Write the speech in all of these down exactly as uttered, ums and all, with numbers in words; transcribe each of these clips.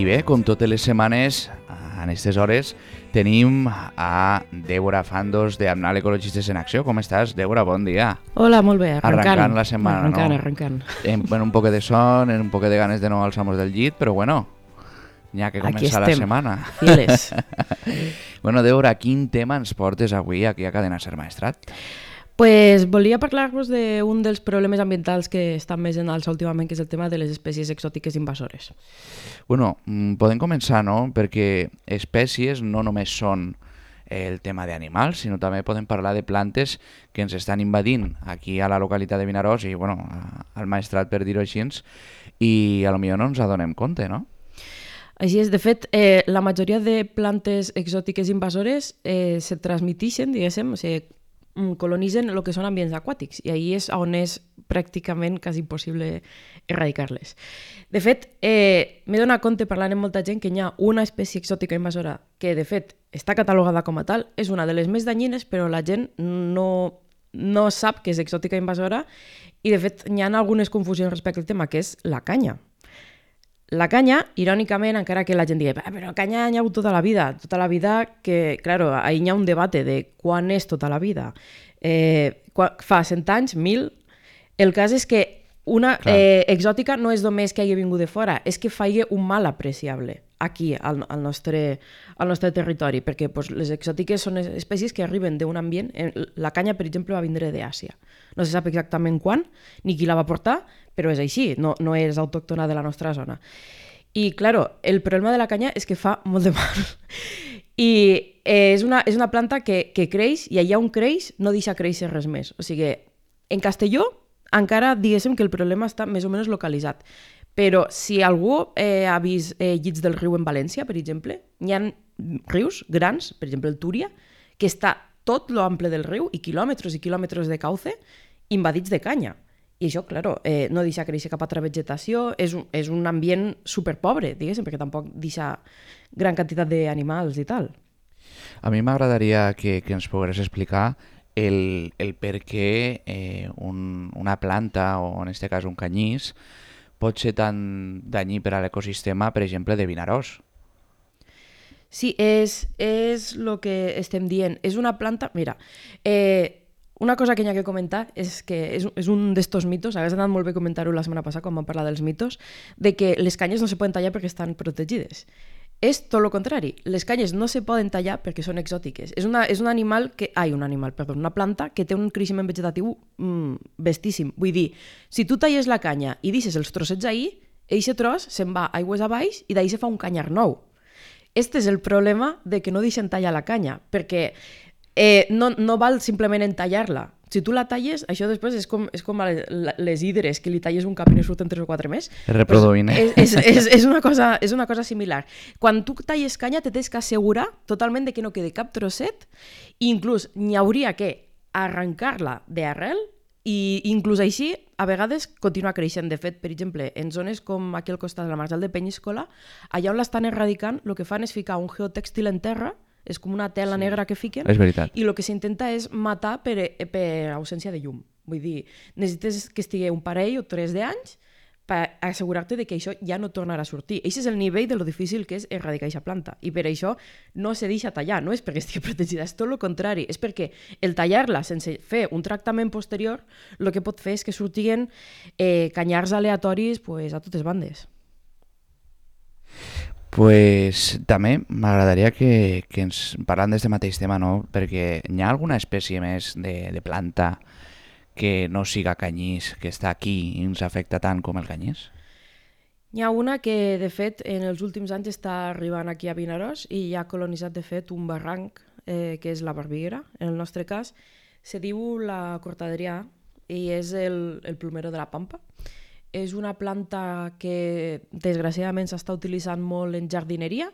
I bé, com totes les setmanes, en aquestes hores, tenim a Débora Fandos de Amnal Ecologistes en Acció. Com estàs, Débora? Bon dia. Hola, molt bé. Arrancant. Arrancant la setmana, arrancant, no? Arrancant, En, bueno, un poc de son, en un poc de ganes de no alçar-nos del llit, però bueno, n'hi ha que començar la setmana. Files. Bueno, Débora, quin tema ens portes avui aquí a Cadena Ser Maestrat? Pues volia parlar-vos d'un dels problemes ambientals que estan més en alça últimament, que és el tema de les espècies exòtiques invasores. Bueno, podem començar, no? Perquè espècies no només són el tema d'animals, sinó també podem parlar de plantes que ens estan invadint aquí a la localitat de Vinaròs i, bueno, al Maestrat, per dir-ho així, i a lo millor no ens adonem compte, no? Així és. De fet, eh, la majoria de plantes exòtiques invasores eh, se transmiteixen, diguéssim, o sigui, colonitzen el que són ambients aquàtics i ahí és on és pràcticament quasi impossible erradicar-les. De fet, eh, m'he donat compte parlant amb molta gent que hi ha una espècie exòtica invasora que de fet està catalogada com a tal, és una de les més danyines, però la gent no, no sap que és exòtica invasora i de fet hi ha algunes confusions respecte al tema, que és la canya. La canya, irònicament, encara que la gent digui però canya hi ha hagut tota la vida, tota la vida que, claro, ahí hi ha un debat de quan és tota la vida. Eh, quan, fa cent anys, mil, el cas és que una eh, exòtica no és només que hagi vingut de fora, és que faci un mal apreciable aquí, al, al, nostre, al nostre territori, perquè pues, les exòtiques són espècies que arriben d'un ambient, la canya, per exemple, va vindre d'Àsia. No se sap exactament quan, ni qui la va portar, però és així, no, no és autòctona de la nostra zona. I, claro, el problema de la canya és que fa molt de mal. I eh, és, una, és una planta que, que creix, i allà on creix no deixa créixer res més. O sigui, en Castelló encara diguéssim que el problema està més o menys localitzat. Però si algú eh, ha vist eh, llits del riu en València, per exemple, hi ha rius grans, per exemple el Túria, que està tot l'ample del riu i quilòmetres i quilòmetres de cauce invadits de canya. I això, claro, eh, no deixa créixer cap altra vegetació, és un, és un ambient superpobre, diguéssim, perquè tampoc deixa gran quantitat d'animals i tal. A mi m'agradaria que, que ens pogués explicar el, el per què eh, un, una planta, o en aquest cas un canyís, pot ser tan danyí per a l'ecosistema, per exemple, de Vinaròs. Sí, és, és el que estem dient. És una planta... Mira, eh, una cosa que hi ha que comentar és que és, és un d'estos mitos, hagués anat molt bé comentar-ho la setmana passada quan vam parlar dels mitos, de que les canyes no se poden tallar perquè estan protegides. És tot el contrari. Les canyes no se poden tallar perquè són exòtiques. És, una, és un animal que... Ai, un animal, perdó, una planta que té un creixement vegetatiu mm, bestíssim. Vull dir, si tu talles la canya i deixes els trossets ahir, eixe tros se'n va aigües a baix i d'ahir se fa un canyar nou. Este és el problema de que no deixen tallar la canya, perquè eh, no, no val simplement en tallar-la. Si tu la talles, això després és com, és com les hidres, que li talles un cap i ne surten tres o quatre més. Es reproduint, eh? És, és, és, és, una cosa, és una cosa similar. Quan tu talles canya, te tens que assegurar totalment de que no quedi cap trosset, i inclús n'hi hauria que arrencar-la d'arrel, i inclús així, a vegades, continua creixent. De fet, per exemple, en zones com aquí al costat de la Marjal de Penyíscola, allà on l'estan erradicant, el que fan és ficar un geotèxtil en terra, és com una tela sí. negra que fiquen, és veritat. I el que s'intenta és matar per, per ausència de llum. Vull dir, necessites que estigui un parell o tres d'anys per assegurar-te de que això ja no tornarà a sortir. Això és el nivell de lo difícil que és erradicar aquesta planta. I per això no se deixa tallar, no és perquè estigui protegida, és tot el contrari. És perquè el tallar-la sense fer un tractament posterior, el que pot fer és que sortiguen eh, canyars aleatoris pues, a totes bandes. Pues també m'agradaria que, que ens parlant d'aquest mateix tema, no? Perquè hi ha alguna espècie més de, de planta que no siga canyís, que està aquí i ens afecta tant com el canyís? Hi ha una que, de fet, en els últims anys està arribant aquí a Vinaròs i ja ha colonitzat, de fet, un barranc, eh, que és la Barbiguera. En el nostre cas, se diu la cortadrià i és el, el plomero de la Pampa. És una planta que, desgraciadament, s'està utilitzant molt en jardineria.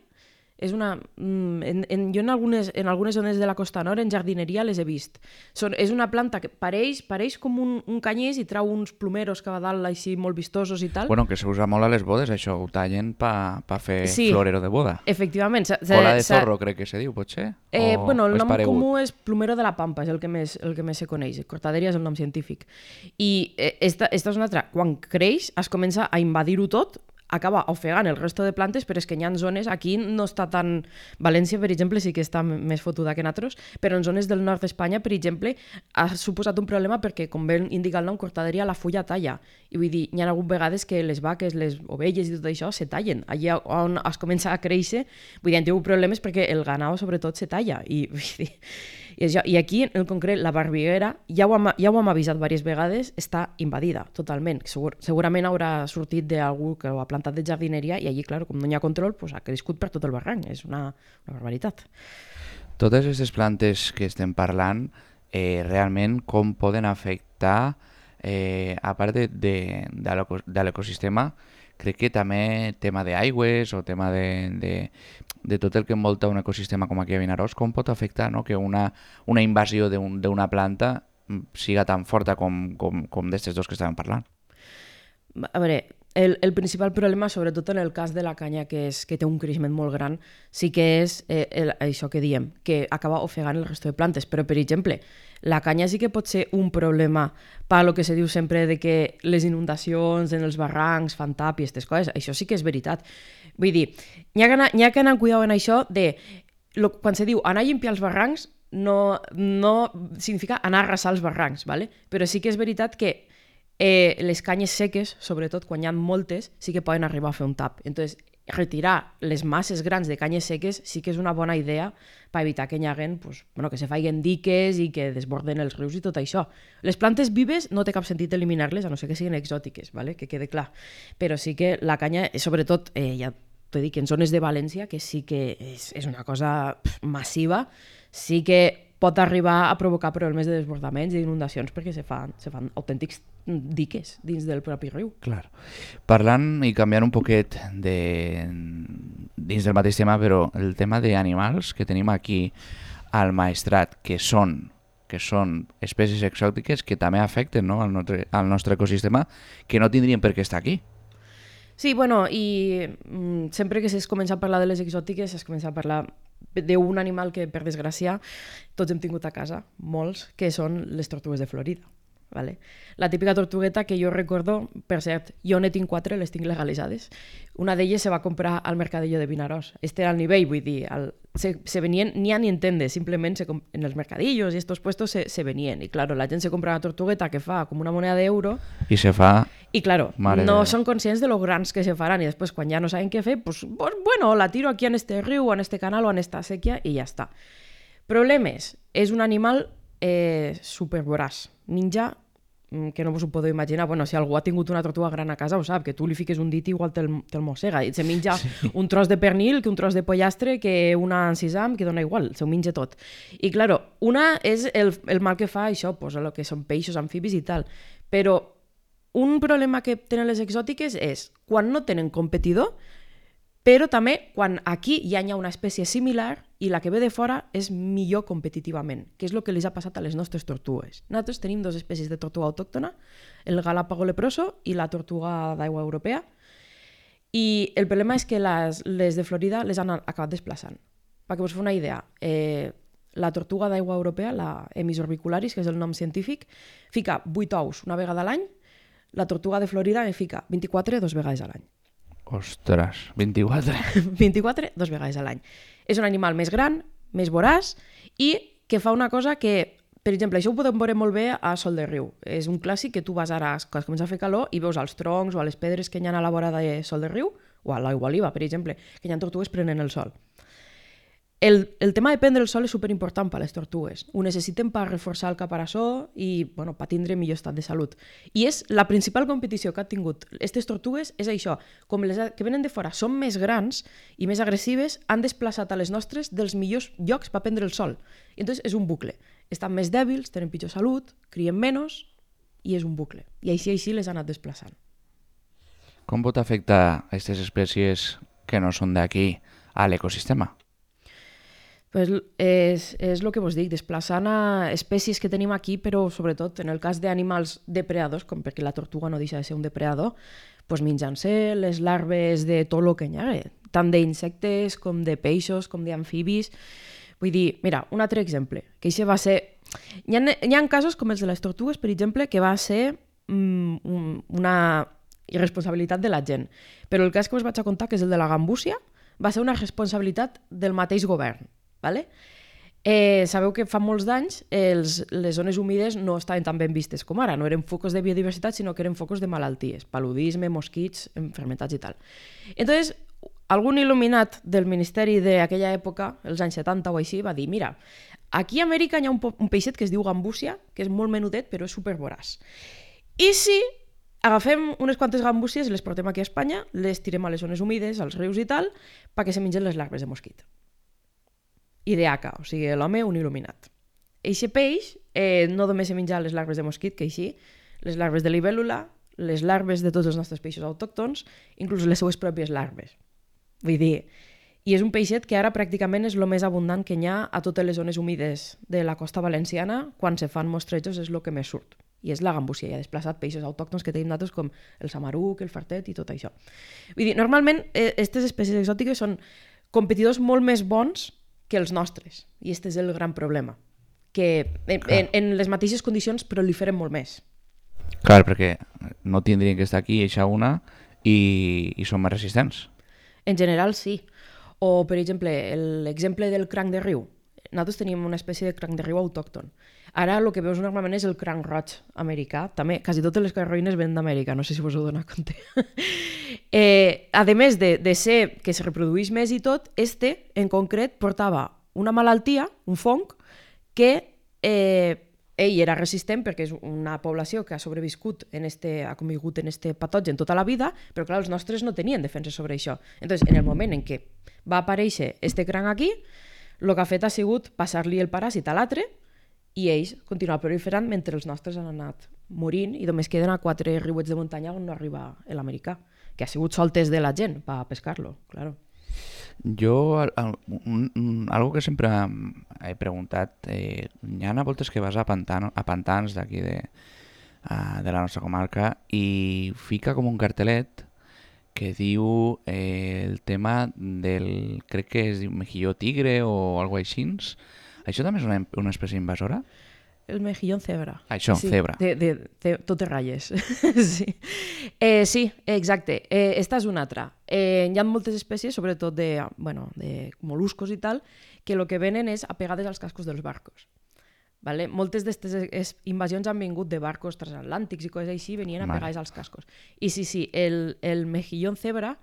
És una, en, en, jo en algunes, en algunes zones de la Costa Nord en jardineria les he vist. Són, és una planta que pareix, pareix com un, un canyís i trau uns plomeros que va dalt així molt vistosos i tal. Bueno, que s'usa molt a les bodes, això ho tallen per pa fer sí, florero de boda. Efectivament. Se, Cola de zorro, crec que se diu, potser? Eh, o, bueno, el o nom paregut? comú és plomero de la Pampa, és el que més, el que més se coneix. Cortaderia és el nom científic. I eh, esta, esta és una altra. Quan creix, es comença a invadir-ho tot, acaba ofegant el resto de plantes, però és que hi ha zones, aquí no està tan... València, per exemple, sí que està més fotuda que nosaltres, però en zones del nord d'Espanya, per exemple, ha suposat un problema perquè, com bé indica el nom, cortaderia, la fulla talla. I vull dir, hi ha hagut vegades que les vaques, les ovelles i tot això se tallen. Allà on es comença a créixer, vull dir, han tingut problemes perquè el ganau, sobretot, se talla. I, vull dir, i, això, i aquí, en concret, la Barbiguera, ja ho hem, ja ho hem avisat diverses vegades, està invadida totalment. Segur, segurament haurà sortit d'algú que ho ha plantat de jardineria i allí, clar, com no hi ha control, pues, ha crescut per tot el barranc. És una, una barbaritat. Totes aquestes plantes que estem parlant, eh, realment com poden afectar, eh, a part de, de, de l'ecosistema, crec que també tema d'aigües o tema de, de, de tot el que envolta un ecosistema com aquí a Vinaròs, com pot afectar, no?, que una, una invasió d'una un, planta siga tan forta com, com, com d'estes dos que estàvem parlant. A veure, el, el principal problema, sobretot en el cas de la canya, que, és, que té un creixement molt gran, sí que és eh, el, això que diem, que acaba ofegant el resto de plantes. Però, per exemple, la canya sí que pot ser un problema per lo que se diu sempre de que les inundacions en els barrancs fan tap i aquestes coses. Això sí que és veritat. Vull dir, n'hi ha que anar, n'hi ha que anar amb cuidado en això de... Lo, quan se diu anar a limpiar els barrancs, no, no significa anar a arrasar els barrancs, ¿vale? Però sí que és veritat que Eh, les canyes seques, sobretot quan hi ha moltes, sí que poden arribar a fer un tap. Entonces, retirar les masses grans de canyes seques sí que és una bona idea per evitar que hi haguen, pues, bueno, que se faiguen diques i que desborden els rius i tot això. Les plantes vives no té cap sentit eliminar-les, a no ser que siguin exòtiques, ¿vale? Que quede clar. Però sí que la canya, sobretot, eh, ja t'he dit que en zones de València, que sí que és, és una cosa pff, massiva, sí que pot arribar a provocar problemes de desbordaments i inundacions perquè se fan, se fan autèntics diques dins del propi riu. Clar. Parlant i canviant un poquet de... dins del mateix tema, però el tema d'animals que tenim aquí al Maestrat, que són que són espècies exòtiques que també afecten, no?, al, nostre, al nostre ecosistema, que no tindrien per què estar aquí. Sí, bueno, i mm, sempre que es comença a parlar de les exòtiques es comença a parlar d'un animal que, per desgràcia, tots hem tingut a casa, molts, que són les tortugues de Florida. Vale? La típica tortugueta que jo recordo, per cert, jo ne tinc quatre, les tinc legalitzades. Una d'elles se va comprar al Mercadillo de Vinaròs. Este era el nivell, vull dir, el, se, se venien, ni a ni entende, simplement se, en els mercadillos i estos puestos se, se venien. I claro, la gent se compra una tortugueta que fa com una moneda d'euro. I se fa... I claro, Mare no de... són conscients de lo grans que se faran i després quan ja no saben què fer, pues, pues bueno, la tiro aquí en este riu, en este canal o en esta sèquia i ja està. Problemes. És un animal eh, supervoraç. Ninja, que no us ho podeu imaginar. Bueno, si algú ha tingut una tortuga gran a casa ho sap, que tu li fiques un dit i igual te'l te mossega. I se menja sí. un tros de pernil, que un tros de pollastre, que una encisam, que dona igual, se ho menja tot. I claro, una és el, el mal que fa això, pues, el que són peixos, amfibis i tal. Però un problema que tenen les exòtiques és quan no tenen competidor, però també quan aquí ja hi ha una espècie similar i la que ve de fora és millor competitivament, que és el que els ha passat a les nostres tortugues. Nosaltres tenim dues espècies de tortuga autòctona, el galápago leproso i la tortuga d'aigua europea, i el problema és que les, les de Florida les han acabat desplaçant. Perquè us feu una idea, eh, la tortuga d'aigua europea, la Emis orbicularis, que és el nom científic, fica vuit ous una vegada a l'any, la tortuga de Florida en fica vint-i-quatre dos vegades a l'any. Ostres, vint-i-quatre. vint-i-quatre, dos vegades a l'any. És un animal més gran, més voraç i que fa una cosa que, per exemple, això ho podem veure molt bé a Sol de Riu. És un clàssic que tu vas ara, quan comença a fer calor, i veus als troncs o a les pedres que hi ha a la vora de Sol de Riu, o a l'aigua oliva, per exemple, que hi ha tortugues prenent el sol. El, el tema de prendre el sol és superimportant per a les tortugues. Ho necessiten per reforçar el caparaçó i bueno, per tindre millor estat de salut. I és la principal competició que han tingut aquestes tortugues és això. Com les que venen de fora són més grans i més agressives, han desplaçat a les nostres dels millors llocs per prendre el sol. I entonces és un bucle. Estan més dèbils, tenen pitjor salut, crien menys i és un bucle. I així així les han anat desplaçant. Com pot afectar aquestes espècies que no són d'aquí a l'ecosistema? Pues és, és el que vos dic, desplaçant a espècies que tenim aquí, però sobretot en el cas d'animals depredadors, com perquè la tortuga no deixa de ser un depredador, pues menjant-se les larves de tot el que hi ha, tant d'insectes com de peixos, com d'amfibis. Vull dir, mira, un altre exemple, que això va ser... Hi ha, hi ha casos com els de les tortugues, per exemple, que va ser mm, una... irresponsabilitat de la gent. Però el cas que us vaig a contar, que és el de la gambúsia, va ser una responsabilitat del mateix govern. Vale? Eh, sabeu que fa molts d'anys els, les zones humides no estaven tan ben vistes com ara, no eren focos de biodiversitat, sinó que eren focos de malalties, paludisme, mosquits, enfermetats i tal. Entonces, algun il·luminat del ministeri d'aquella època, els anys setanta o així, va dir, mira, aquí a Amèrica hi ha un, un peixet que es diu gambúsia, que és molt menudet però és supervoraç. I si agafem unes quantes gambúsies i les portem aquí a Espanya, les tirem a les zones humides, als rius i tal, perquè se mengen les larves de mosquit. I de haca, o sigui, l'home un il·luminat. Eixe peix eh, no només se menja les larves de mosquit, que així, les larves de libèl·lula, les larves de tots els nostres peixos autòctons, inclús les seues pròpies larves. Vull dir, i és un peixet que ara pràcticament és el més abundant que hi ha a totes les zones humides de la costa valenciana, quan se fan mostrejos és el que més surt. I és la gambúsia, i ha desplaçat peixos autòctons que tenim nosaltres com el samaruc, el fartet i tot això. Vull dir, normalment, aquestes eh, espècies exòtiques són competidors molt més bons que els nostres, i aquest és el gran problema, que en, en, en les mateixes condicions proliferen molt més. Clar, perquè no tindrien que estar aquí i eixa una i, i són més resistents. En general, sí. O, per exemple, l'exemple del cranc de riu. Nosaltres tenim una espècie de cranc de riu autòcton. Ara el que veus normalment és el cranc roig americà. També, quasi totes les carroïnes venen d'Amèrica, no sé si vos ho doneu compte. eh, a més de, de ser que se reprodueix més i tot, este, en concret, portava una malaltia, un fong, que eh, ell era resistent perquè és una població que ha sobreviscut, en este, ha convigut en este patogen tota la vida, però clar, els nostres no tenien defensa sobre això. Entonces, en el moment en què va aparèixer este cranc aquí, el que ha fet ha sigut passar-li el paràsit a l'altre i ells continuen proliferant mentre els nostres han anat morint i només queden a quatre riuets de muntanya on no arriba l'americà, que ha sigut soltes de la gent per pescar-lo, claro. Jo, un, un, algo que sempre he preguntat, eh, hi ha voltes que vas a, pantano, a pantans d'aquí de, a, de la nostra comarca i fica com un cartelet que diu eh, el tema del, crec que es diu mejilló tigre o algo així. Això també és una, una espècie invasora? El mejillón cebra. Això, sí, cebra. De, de, de totes ratlles. sí. Eh, sí, exacte. Eh, esta és una altra. Eh, hi ha moltes espècies, sobretot de, bueno, de moluscos i tal, que el que venen és apegades als cascos dels barcos. Vale? Moltes d'aquestes invasions han vingut de barcos transatlàntics i coses així, venien apegades als cascos. I sí, sí, el, el mejillón cebra,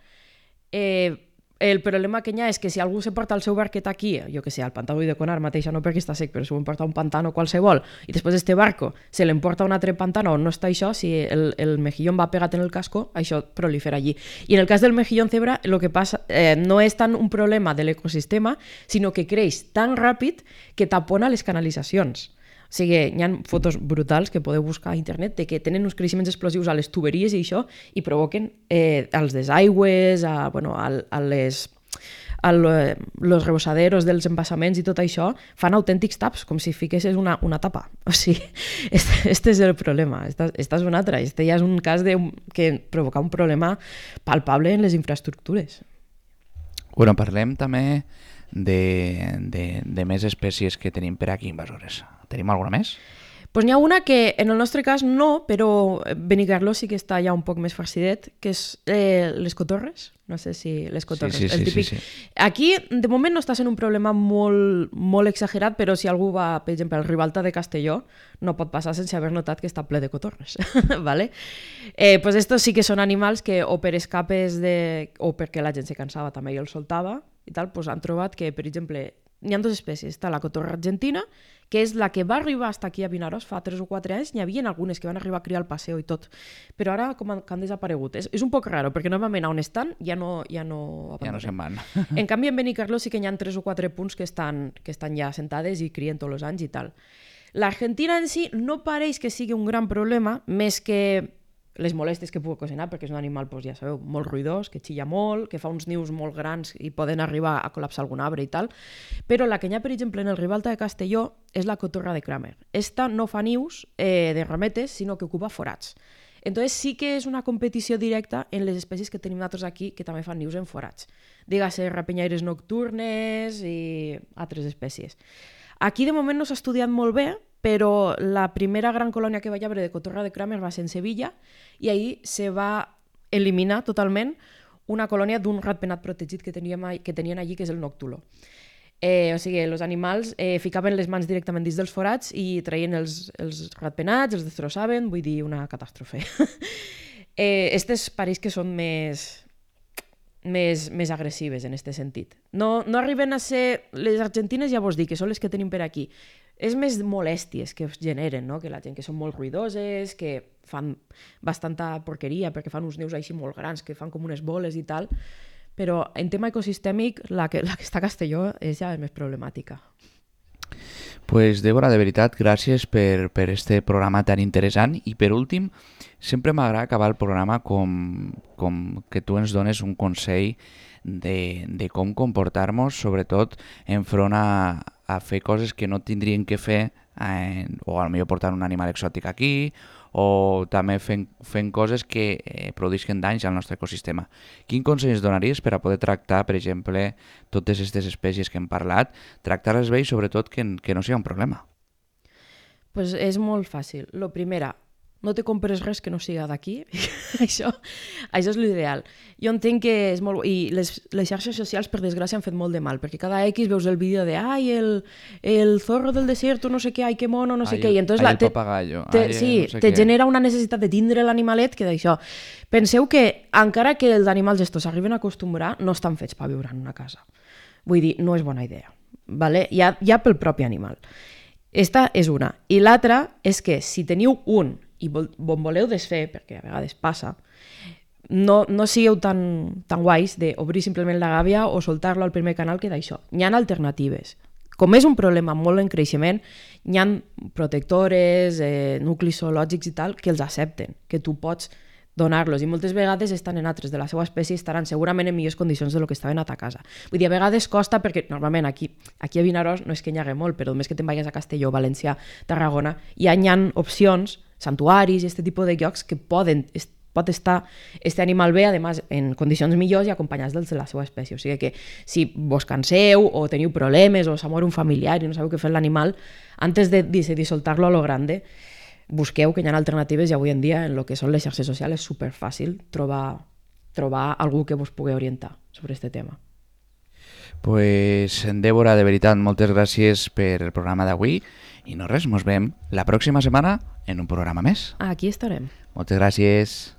eh, el problema que hi ha és que si algú se porta el seu barquet aquí, jo que sé, al pantà de Conar mateixa, no perquè està sec, però si ho porta un pantano qualsevol, i després este barco se l'emporta un altre pantano on no està això, si el, el mejillón va pegat en el casco, això prolifera allí. I en el cas del mejillón cebra, el que passa eh, no és tant un problema de l'ecosistema, sinó que creix tan ràpid que tapona les canalitzacions. O sigui, hi ha fotos brutals que podeu buscar a internet de que tenen uns creixements explosius a les tuberies i això i provoquen eh, als desaigües, a, bueno, a, a les a los rebosaderos dels embassaments i tot això, fan autèntics taps, com si fiquessis una, una tapa. O sigui, este, este és el problema. Esta, esta és una altra. Este ja és un cas de, que provoca un problema palpable en les infraestructures. Bueno, parlem també de, de, de més espècies que tenim per aquí invasores. Tenim alguna més? Pues n'hi ha una que en el nostre cas no, però Benicarló sí que està ja un poc més farcidet, que és eh, les cotorres. No sé si les cotorres, sí, sí, el sí, típic. Sí, sí. Aquí, de moment, no està sent un problema molt, molt exagerat, però si algú va, per exemple, al Ribalta de Castelló, no pot passar sense haver notat que està ple de cotorres. ¿Vale? Eh, pues estos sí que són animals que o per escapes de... o perquè la gent se cansava també i els soltava i tal, pues han trobat que, per exemple, hi ha dues espècies. Està la cotorra argentina, que és la que va arribar fins aquí a Vinaròs fa tres o quatre anys. N'hi havia algunes que van arribar a criar al paseo i tot, però ara com han, han desaparegut. És, és un poc raro, perquè normalment on estan ja no, ja no, ja no se'n van. En canvi, en Benicarló sí que hi ha tres o quatre punts que estan, que estan ja sentades i crien tots els anys i tal. L'Argentina en si no pareix que sigui un gran problema, més que les molèsties que pugui ocasionar, perquè és un animal, doncs, ja sabeu, molt ruïdós, que xilla molt, que fa uns nius molt grans i poden arribar a col·lapsar algun arbre i tal. Però la que hi ha, per exemple, en el Ribalta de Castelló és la cotorra de Kramer. Esta no fa nius eh, de rametes, sinó que ocupa forats. Entonces sí que és una competició directa en les espècies que tenim nosaltres aquí, que també fan nius en forats. Dígase rapenyaires nocturnes i altres espècies. Aquí de moment no s'ha estudiat molt bé, però la primera gran colònia que va haver de cotorra de Kramer va ser en Sevilla i ahir se va eliminar totalment una colònia d'un ratpenat protegit que, teníem, que tenien allí, que és el noctulo. Eh, o sigui, els animals eh, ficaven les mans directament dins dels forats i traien els, els ratpenats, els destrossaven, vull dir, una catàstrofe. eh, estes pareix que són més, més, més agressives en aquest sentit. No, no arriben a ser... Les argentines ja vos dic, que són les que tenim per aquí. És més molèsties que es generen, no? Que la gent que són molt ruïdoses, que fan bastanta porqueria perquè fan uns nius així molt grans, que fan com unes boles i tal, però en tema ecosistèmic la que, la que està a Castelló és ja més problemàtica. Pues Débora, de veritat, gràcies per, per este programa tan interessant i per últim, sempre m'agrada acabar el programa com, com que tu ens dones un consell de, de com comportar-nos, sobretot enfront a, a fer coses que no tindrien que fer, eh, o potser portar un animal exòtic aquí, o també fent, fent coses que eh, produeixen danys al nostre ecosistema. Quin consell ens donaries per a poder tractar, per exemple, totes aquestes espècies que hem parlat, tractar-les bé i sobretot que, que no sigui un problema? Pues és molt fàcil. Lo primera, no te compres res que no siga d'aquí. això, això és l'ideal. Jo entenc que és molt... I les, les xarxes socials, per desgràcia, han fet molt de mal, perquè cada X veus el vídeo de ai, el, el zorro del desierto, no sé què, ai, que mono, no sé ai, què, i entonces ai, la, el papagallo, te, ai, sí, no sé te què. genera una necessitat de tindre l'animalet que d'això. Penseu que, encara que els animals estos s'arriben a acostumbrar, no estan fets per viure en una casa. Vull dir, no és bona idea. Vale? Ja, ja pel propi animal. Esta és una. I l'altra és que si teniu un i vol, bon voleu desfer, perquè a vegades passa, no, no sigueu tan, tan guais d'obrir simplement la gàbia o soltar-lo al primer canal que d'això. Hi ha alternatives. Com és un problema molt en creixement, hi ha protectores, eh, nuclis zoològics i tal, que els accepten, que tu pots donar-los, i moltes vegades estan en altres de la seva espècie i estaran segurament en millors condicions de lo que estaven a ta casa. Vull dir, a vegades costa, perquè normalment aquí, aquí a Vinaròs no és que n'hi hagi molt, però només que te'n vagis a Castelló, València, Tarragona, ja hi ha opcions, santuaris i aquest tipus de llocs que poden, es, pot estar este animal bé, además, en condicions millors i acompanyats dels de la seva espècie. O sigui que si vos canseu o teniu problemes o s'ha mort un familiar i no sabeu què fer l'animal, antes de decidir soltar-lo a lo grande, busqueu que hi ha alternatives i avui en dia en el que són les xarxes socials és superfàcil trobar, trobar algú que vos pugui orientar sobre aquest tema. Pues, Débora, de veritat, moltes gràcies per el programa d'avui i no res, mos veiem la pròxima setmana en un programa més. Aquí estarem. Moltes gràcies.